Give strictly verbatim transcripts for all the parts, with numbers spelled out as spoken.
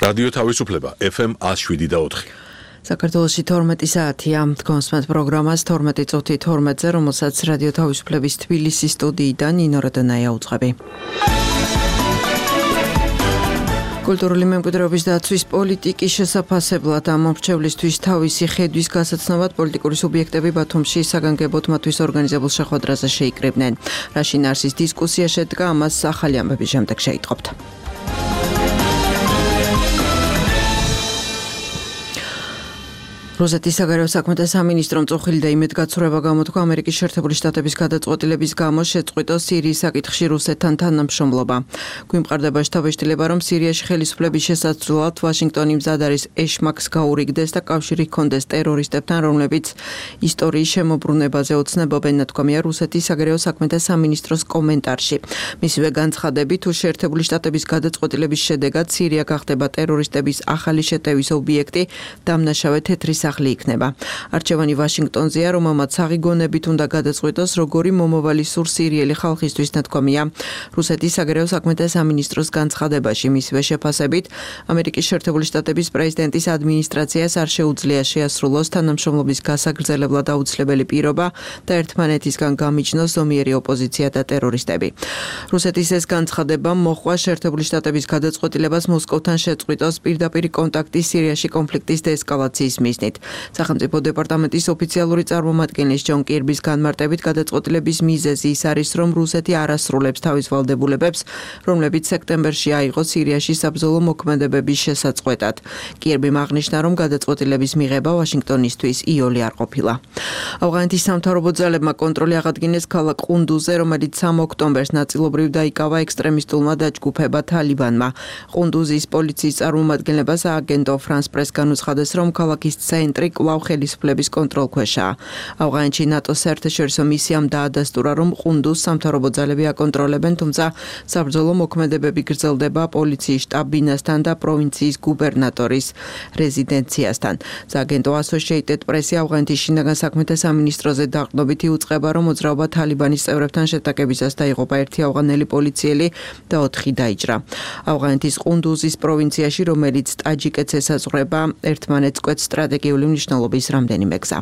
რადიო თავისუფლება ეფ ემ ათს შვიდი და ოთხი. საქართველოში თორმეტი საათია. თქვენს პროგრამას თორმეტი წუთი თორმეტზე, რომელსაც რადიო თავისუფლების თბილისის სტუდიიდან ნინო როდონაია უძღვები. კულტურული მემკვიდრეობის დაცვის პოლიტიკის შესაფასებლად ამ მომრჩევლისთვის თავისი ხედვის გასაცნობად პოლიტიკური სუბიექტები ბათუმში საგანგებოდ მათთვის ორგანიზებულ შეხვედრაზე შეიკრიბნენ. რაში ნარსის დისკუსია შედგა, ამას ახალი ამბების შემდეგ შეიტყობთ. რუსეთის საგარეო საქმეთა სამინისტრომ წუხილი და იმედგაცრუება გამოთქვა ამერიკის შეერთებული შტატების გადაწყვეტილების გამო შეწყვიტოს სირიის საკითხში რუსეთთან თანამშრომლობა. გვიმყარდება შთაბეჭდილება, რომ სირიაში ხელისუფლების შესაცვლელად ვაშინგტონი მზად არის ეშმაკს გაურიგდეს და კავშირი ჰქონდეს ტერორისტებთან, რომლებიც ისტორიის შემოbrunებაზე ოცნებობენ, ნათქვამია რუსეთის საგარეო საქმეთა სამინისტროს კომენტარში. მისივე განცხადებით, თუ შეერთებული შტატების გადაწყვეტილების შედეგად სირია გახდება ტერორისტების ახალი შეტევის ობიექტი, დამნაშავე თეთრი სახლი იქნება. არჩევანი ვაშინგტონზეა, რომელმაც საღიგონებით უნდა გადაწყვიტოს, როგორი მომავალი სურს სირიელი ხალხისთვის, ნათქვამია რუსეთის საგარეო საქმეთა სამინისტროს განცხადებაში. მისივე შეფასებით, ამერიკის შეერთებული შტატების პრეზიდენტის ადმინისტრაციას არ შეუძლია შეასრულოს თანამშრომლობის გასაგრძელებლად აუცილებელი პირობა და ერთმანეთისგან გამიჯნოს ზომიერი ოპოზიცია და ტერორისტები. რუსეთის ეს განცხადება მოჰყვა შეერთებული შტატების გადაწყვეტილებას მოსკოვთან შეწყვიტოს პირდაპირ კონტაქტი სირიაში კონფლიქტის დეესკალაციის მიზნით. სახელმწიფო დეპარტამენტის ოფიციალური წარმომადგენლის ჯონ კირბის განმარტებით გადაწყვეტილების მიზეზი ის არის, რომ რუსეთი არ ასრულებს თავის ვალდებულებებს, რომლებიც სექტემბერში აიღო სირიაში საბრძოლო მოქმედებების შესაწყვეტად. კირბიმ აღნიშნა, რომ გადაწყვეტილების მიღება ვაშინგტონისთვის იოლი არ ყოფილა. ავღანეთის სამთავრობო ძალებმა კონტროლი აღადგინეს ქალაქ ყუნდუზე, რომელიც სამ ოქტომბერს ნაწილობრივ დაიკავა ექსტრემისტულმა დაჯგუფება თალიბანმა. ყუნდუზის პოლიციის წარმომადგენლებას ააგენტო ფრანს პრეს განუცხადეს, რომ ქალაქის ცენტრი კვლავ ხელისუფლების კონტროლქვეშაა. ავღანეთში ნატოს საერთაშორისო მისიამ დაადასტურა, რომ ყუნდუს სამთავრობო ძალები აკონტროლებენ, თუმცა საბრძოლო მოქმედებები გრძელდება პოლიციის შტაბ-ბინასთან და პროვინციის გუბერნატორის რეზიდენციასთან. სააგენტო Associated Press ავღანეთის შინაგან საქმეთა სამინისტროზე დაყრდნობით იუწყება, რომ მოძრაობა თალიბანის წევრებთან შეტაკებისას დაიღუპა ერთი ავღანელი პოლიციელი და ოთხი დაიჭრა. ავღანეთის ყუნდუზის პროვინციაში, რომელიც ტაჯიკეთს ესაზღვრება, ერთმანეთს კვეთს სტრატეგიული მნიშვნელობის რამდენიმე გზა.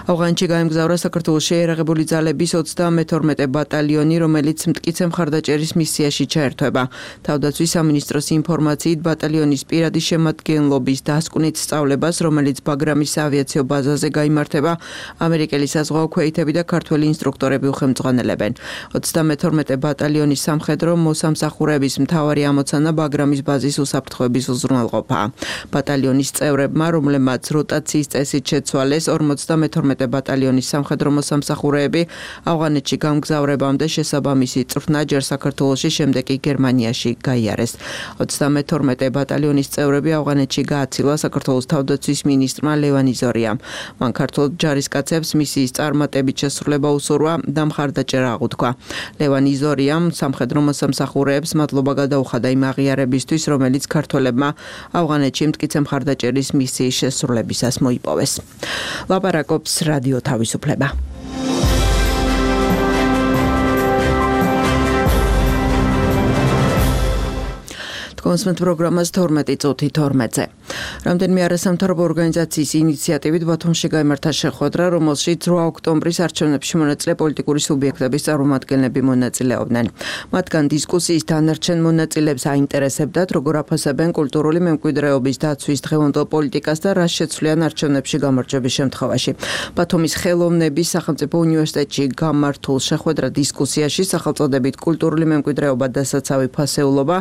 ავღანეთში გაემგზავრა საქართველოს შეიარაღებული ძალების ოცდამეთორმეტე ბატალიონი, რომელიც მტკიცე მხარდაჭერის მისიაში ჩაერთვება. თავდაცვის სამინისტროს ინფორმაციით, ბატალიონის პირადი შემადგენლობის დასკვნით სწავლებას, რომელიც ბაგრამის საავიაციო ბაზაზე გაიმართება, ამერიკელი საზღვაო ქვეითები და ქართველი ინსტრუქტორები უხელმძღვანელებენ. ოცდამეთორმეტე ბატალიონის სამხედრო მოსამსახურეების მთავარი ამოცანა ბაგრამის ბაზის უსაფრთხოების უზრუნველყოფაა. ბატალიონის წევრებმა, რომლებმაც როტაციის წესით შეცვალეს, ორმოცდამეთორმეტე ბატალიონის სამხედრო მოსამსახურეები ავღანეთში გამგზავრებამდე შესაბამისი წვრთნა ჯერ საქართველოში, შემდეგ კი გერმანიაში გაიარეს. ოცდამეთორმეტე ბატალიონის წევრები ავღანეთში გააცილა საქართველოს თავდაცვის მინისტრმა ლევან იზორიამ. მან ქართულ ჯარისკაცებს მისიის წარმატებით შესრულება უსურვა და მხარდაჭერა აღუთქვა. ლევან იზორიამ სამხედრო მოსამსახურეებს მადლობა გადაუხადა იმ აღიარებისთვის, რომელიც ქართველებმა ავღანეთში მტკიცე მხარდაჭერის მისიის შესრულებისას მოიპოვეს. ლაპარაკობს რადიო თავისუფლება. კონსმეთ პროგრამას თორმეტი წუთი თორმეტზე. რამდენიმე არასამთავრობო ორგანიზაციის ინიციატივით ბათუმში გაიმართა შეხვედრა, რომელშიც რვა ოქტომბრის არჩევნებში მონაწილე პოლიტიკური სუბიექტების წარმომადგენლები მონაწილეობდნენ. მათგან დისკუსიის დანარჩენ მონაწილეებს აინტერესებდათ, როგორ აფასებენ კულტურული მემკვიდრეობის დაცვის დღევანდელ პოლიტიკას და რა შეცვლიან არჩევნებში გამარჯვების შემთხვევაში. ბათუმის ხელოვნების სახელმწიფო უნივერსიტეტში გამართულ შეხვედრა დისკუსიაში სახელწოდებით კულტურული მემკვიდრეობა და საცავი ფასეულობა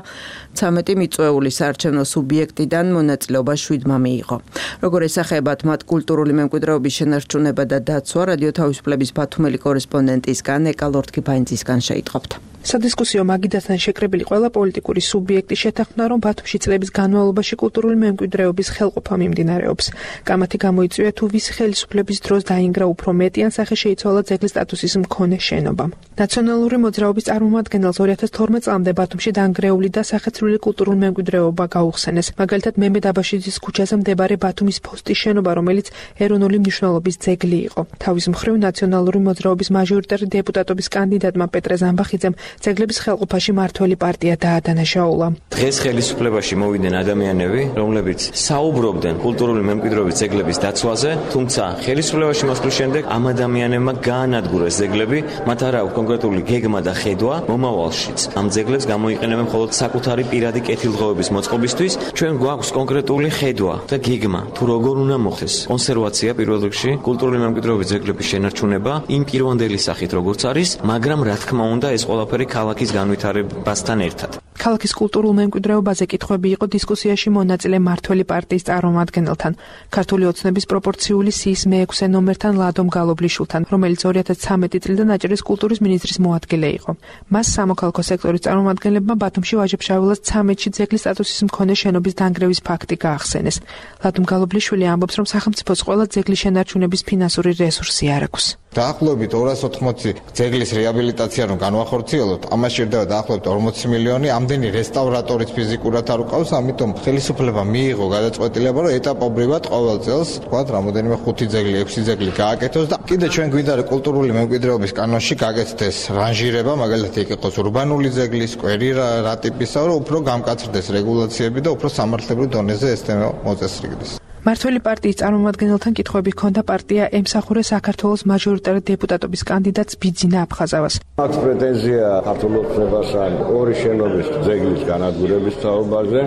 ცამეტი მიწვეული საარჩევნო სუბიექტიდან მონაწილეობა შვიდმა მიიღო. როგორ ესახებათ მათ კულტურული მემკვიდრეობის შენარჩუნება და დაცვა, რადიო თავისუფლების ბათუმელი კორესპონდენტისგან ეკა ლორთქიფაინძისგან შეიტყობთ. სადისკუსიო მაგიდასთან შეკრებილი ყველა პოლიტიკური სუბიექტი შეთანხმდა, რომ ბათუმში წლების განმავლობაში კულტურული მემკვიდრეობის ხელყოფა მიმდინარეობს. კამათი გამოიწვია, თუ ვის ხელისუფლების დროს დაინგრა უფრო მეტი ან სახე შეიცვალა ძეგლის სტატუსის მქონე შენობამ. ნაციონალური მოძრაობის წარმომადგენელს ორი ათას თორმეტ წლამდე ბათუმში დანგრეული და სახეცვლილი კულტურული მემკვიდრეობა გაუხსენეს. მაგალითად, მემედ აბაშის ხაშიძის ქუჩაზე მდებარე ბათუმის ფოსტის შენობა, რომელიც ეროვნული მნიშვნელობის ძეგლი იყო. თავის მხრივ ნაციონალური მოძრაობის მაჟორიტარი დეპუტატობის კანდიდატმა პეტრე ზამბახიძემ ძეგლების ხელყოფაში მართველი პარტია დაადანაშაულა. დღეს ხელისუფლებაში მოვიდნენ ადამიანები, რომლებიც საუბრობდნენ კულტურული მემკვიდრეობის ძეგლების დაცვაზე, თუმცა ხელისუფლებაში მოსვლის შემდეგ ამ ადამიანებმა გაანადგურეს ძეგლები, მათ არ აქვს კონკრეტული გეგმა და ხედვა მომავალშიც. ამ ძეგლებს გამოიყენებენ მხოლოდ საკუთარი პირადი კეთილდღეობის მოწყობისთვის. ჩვენ გვაქვს კონკრეტული ხედვა და გეგმა, თუ როგორ უნდა მოხდეს კონსერვაცია პირველ რიგში, კულტურული მემკვიდრეობის ძეგლების შენარჩუნება იმ პირვანდელი სახით როგორც არის, მაგრამ რა თქმა უნდა ეს ყველაფერი ქალაქის განვითარებასთან ერთად. ქალაქის კულტურულ მემკვიდრეობაზე კითხვები იყო დისკუსიაში მონაწილე მართველი პარტიის წარმომადგენელთან, ქართული ოცნების პროპორციული სიის მეექვსე ნომერთან ლადომ გალობლიშვილთან, რომელიც ორი ათას ცხრამეტი წლიდან აჭარის კულტურის მინისტრის მოადგილე იყო. მას სამოქალაქო სექტორის წარმომადგენლებმა ბათუმში ვაჟა-ფშაველას ცამეტში ძეგლის სტატუსის მქონე შენობის დანგრევის ფაქტი გაახსენეს. ლადომ გალობლიშვილი ამბობს, რომ სახელმწიფოს ყველა ძეგლის შენარჩუნების ფინანსური რესურსი არ აქვს. დაახლოებით ორას ოთხმოცი ძეგლის რეაბილიტაცია რომ განვახორციელოთ, ამას სჭირდება დაახლოებით ორმოცი მილიონი, ამდენი რესტავრატორიც ფიზიკურად არ უკავს, ამიტომ ხელისუფლება მიიღო გადაწყვეტილება, რომ ეტაპობრივად ყოველ წელს, თქვათ, რამოდენიმე ხუთი ძეგლი, ექვსი ძეგლი გააკეთოს და კიდე ჩვენ გვინდა კულტურული მემკვიდრეობის კანონში გაკეთდეს რანჟირება, მაგალითად იქ იყოს ურბანული ძეგლის, სკვერი რა ტიპისა, რომ უფრო გამკაცრდეს რეგულაციები და უფრო სამართლებრივ დონეზე ეს თემა მოწესრიგდეს. მართველი პარტიის წარმომადგენელთან კითხვები ჰქონდა პარტია ემსახურე საქართველოს მაჟორიტარი დეპუტატობის კანდიდატს ბიძინა აფხაზავას. მათ პრეტენზია ქართულ ოცნებასთან ორი შენობის ძეგლის განადგურების თაობაზე.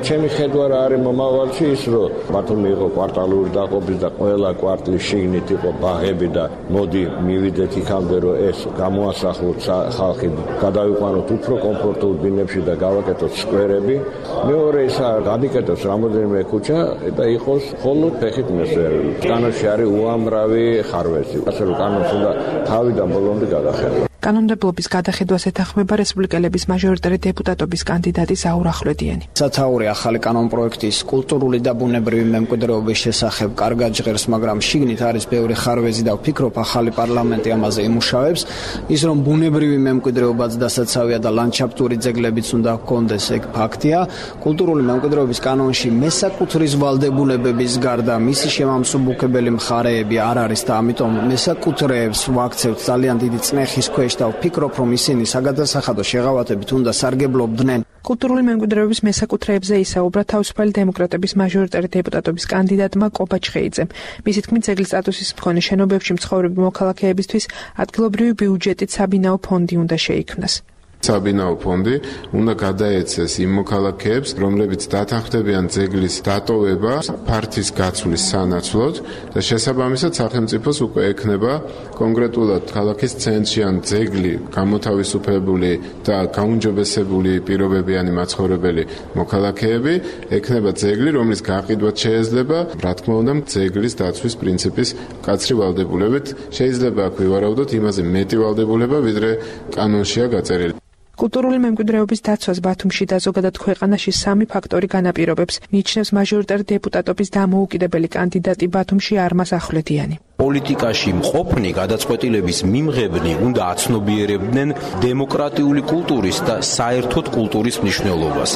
ჩემი ხედვა რა არის მომავალში ის, რომ ბათუმი იყო კვარტალური დაყოფის და ყველა კვარტლის შიგნით იყო ბაღები და მოდი მივიდეთ იქამდე, რომ ეს გამოასახლოთ ხალხი, გადავიყვანოთ უფრო კომფორტულ ბინებში და გავაკეთოთ სკვერები. მეორე ისა გადიკეთოს რამოდენიმე ქუჩა და იყოს ხოლოდ ფეხით მესვერები. კანონში არის უამრავი ხარვეზი. ასე რომ კანონს უნდა თავიდან ბოლომდე გადახედოს. კანონმდებლობის გადახედვას ეთანხმება რესპუბლიკელების მაჟორიტარი დეპუტატობის კანდიდატი ზაურ ახვლედიანი. სათაური ახალი კანონპროექტის კულტურული და ბუნებრივი მემკვიდრეობის შესახებ კარგად ჟღერს, მაგრამ შიგნით არის ბევრი ხარვეზი და ვფიქრობ ახალი პარლამენტი ამაზე იმუშავებს. ის რომ ბუნებრივი მემკვიდრეობაც დასაცავია და ლანდშაფტური ძეგლებიც უნდა ჰქონდეს, ეგ ფაქტია. კულტურული მემკვიდრეობის კანონში მესაკუთრის ვალდებულებების გარდა მისი შემამსუბუქებელი მხარეები არ არის და ამიტომ მესაკუთრეებს ვაქცევთ ძალიან დიდი წნეხის ქვეშ და ვფიქრობ, რომ ისინი საგადასახადო შეღავათებით უნდა სარგებლობდნენ. კულტურული მემკვიდრეობის მესაკუთრეებზე ისაუბრა თავისუფალი დემოკრატების მაჟორიტარი დეპუტატობის კანდიდატმა კობა ჩხეიძემ. მისი თქმით, ძეგლის სტატუსის მქონე შენობებში მცხოვრები მოქალაქეებისთვის ადგილობრივი ბიუჯეტით საბინაო ფონდი უნდა შეიქმნას. საბინაო ფონდი უნდა გადაეცეს იმ მოქალაქეებს, რომლებიც დათანხმდებიან ძეგლის დატოვება ფართის გაცვლის სანაცვლოდ და შესაბამისად სახელმწიფოს უკვე ექნება კონკრეტულად ქალაქის ცენტრში ან ძეგლი გამოთავისუფლებული და გაუმჯობესებული პირობებიანი მაცხოვრებელი მოქალაქეები, ექნება ძეგლი, რომლის გაყიდვაც შეეძლება, რა თქმა უნდა, ძეგლის დაცვის პრინციპის მკაცრი ვალდებულებით. შეიძლება აქ ვივარაუდოთ იმაზე მეტი ვალდებულება, ვიდრე კანონშია გაწერილი. კულტურული მემკვიდრეობის დაცვას ბათუმში და ზოგადად ქვეყანაში სამი ფაქტორი განაპირობებს, მიიჩნევს მაჟორიტარი დეპუტატობის დამოუკიდებელი კანდიდატი ბათუმში არმაზ ახვლედიანი. პოლიტიკაში მყოფნი გადაწყვეტილების მიმღებნი უნდა აცნობიერებდნენ დემოკრატიული კულტურის და საერთოდ კულტურის მნიშვნელობას.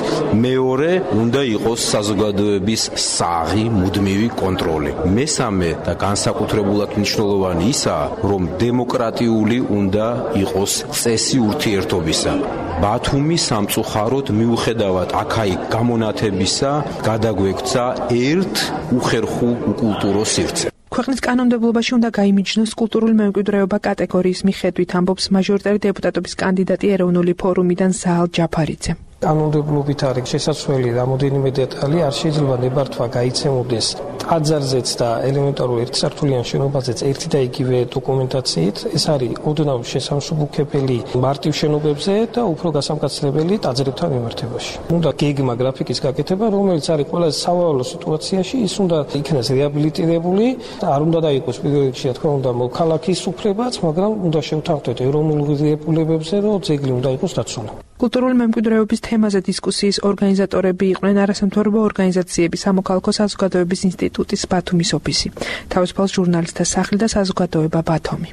მეორე უნდა იყოს საზოგადოების საღი მუდმივი კონტროლი. მესამე და განსაკუთრებულად მნიშვნელოვანი ისაა, რომ დემოკრატიული უნდა იყოს წესი ურთიერთობისა. ბათუმი სამწუხაროდ მიუხედავად აქ-იქ გამონათებისა გადაგვექცა ერთ უხერხულ უკულტურო სივრცე. ქვეყნის კანონმდებლობაში უნდა გაიმიჯნოს კულტურული მემკვიდრეობა კატეგორიის მიხედვით, ამბობს მაჟორიტარი დეპუტატობის კანდიდატი ეროვნული ფორუმიდან ზაალ ჯაფარიძე. კანონმდებლობით არის შესაძლებელი რამოდენიმე დეტალი, არ შეიძლება ნებართვა გაიცემოდეს ტაძარზეც და ელემენტარულ ერთსართულიან შენობაზეც ერთი და იგივე დოკუმენტაციით. ეს არის ოდნავ შესამსუბუქებელი მარტივ შენობებზე და უფრო გასამკაცრებელი ტაძრებთან მიმართებაში. უნდა გეგმა გრაფიკის გაკეთება, რომელიც არის ყველაზე სავალალო სიტუაციაში, ის უნდა იქნეს რეაბილიტირებული და არ უნდა დაიყოს პირველ რიგში, რა თქმა უნდა, მოქალაქის უფლებაც, მაგრამ უნდა შევთანხმდეთ ეროვნულ ღირებულებებზე, რომ ძეგლი უნდა იყოს დაცული. კულტურული მემკვიდრეობის თემაზე დისკუსიის ორგანიზატორები იყვნენ არასამთავრობო ორგანიზაციები, სამოქალაქო საზოგადოების ინსტიტუტის ბათუმის ოფისი, თავისუფალ ჟურნალისტთა სახლი და საზოგადოება ბათუმი.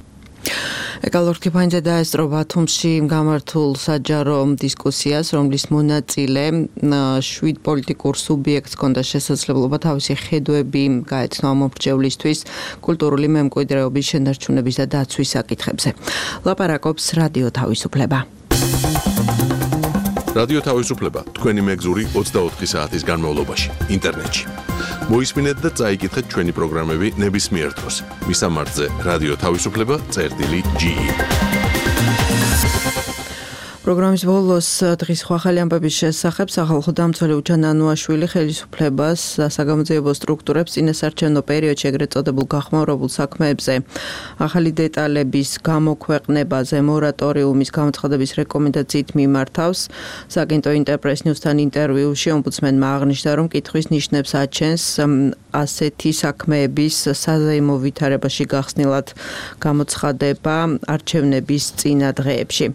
ეკალორქი ფაინზე დაესწრო ბათუმში გამართულ საჯარო დისკუსიას, რომლის მონაწილე შვიდ პოლიტიკურ სუბიექტს ჰქონდა შესაძლებლობა თავისი ხედვები გაეცნო ამ მომრჩევლისთვის კულტურული მემკვიდრეობის შენარჩუნების და დაცვის საკითხებზე. ლაპარაკობს რადიო თავისუფლება. რადიო თავისუფლება თქვენი მეგზური ოცდაოთხი საათის განმავლობაში ინტერნეტში. მოისმინეთ და წაიკითხეთ ჩვენი პროგრამები ნებისმიერ დროს. მისამართზე რადიო თავისუფლება წერტილი ჯი. პროგრამის ბოლოს დღის ხვალ ამბების შესახებ სახალხო დამცველი უჩან ანუაშვილი ხელისუფლებას საგამოძიებო სტრუქტურებს წინასარჩევნო პერიოდში ეგრეთ წოდებულ გახმაურებულ საქმეებზე ახალი დეტალების გამოქვეყნებაზე მორატორიუმის გამოცხადების რეკომენდაციით მიმართავს. საგენტო ინტერპრეს ნიუსთან ინტერვიუში ომბუდსმენმა აღნიშნა, რომ კითხვის ნიშნებს აჩენს ასეთი საქმეების საზეიმო ვითარებაში გახსნილად გამოცხადება არჩევნების წინა დღეებში.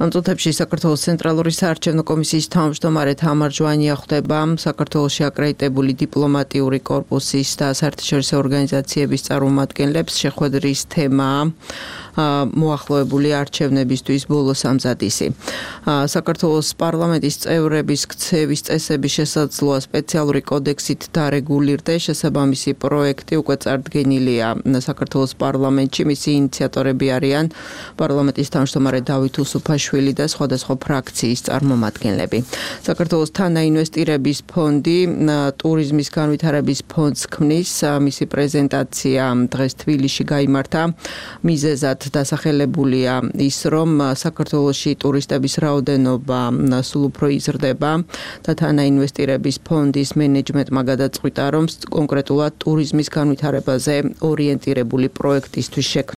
ამ წუთებში საქართველოს ცენტრალური საარჩევნო კომისიის თავმჯდომარე თამარ ჟვანია ხვდება საქართველოში აკრედიტებული დიპლომატიური კორპუსის და საერთაშორისო ორგანიზაციების წარმომადგენლებს. შეხვედრის თემაა მოახლოებული არჩევნებისთვის ბოლო სამზადისი. საქართველოს პარლამენტის წევრების ქცევის წესების შესაძლოა სპეციალური კოდექსით დარეგულირდეს. შესაბამისი პროექტი უკვე წარდგენილია საქართველოს პარლამენტში. მისი ინიციატორები არიან პარლამენტის თავმჯდომარე დავით უსუფაშვილი და სხვადასხვა ფრაქციის წარმომადგენლები. საქართველოს თანაინვესტირების ფონდი ტურიზმის განვითარების ფონდს ქმნის. მისი პრეზენტაცია დღეს თბილისში გაიმართა. მიზეზად დასახელებულია ის, რომ საქართველოში ტურისტების რაოდენობა სულ უფრო იზრდება და თანაინვესტირების ფონდის მენეჯმენტმა გადაწყვიტა, რომ კონკრეტულად ტურიზმის განვითარებაზე ორიენტირებული პროექტისთვის შექმნა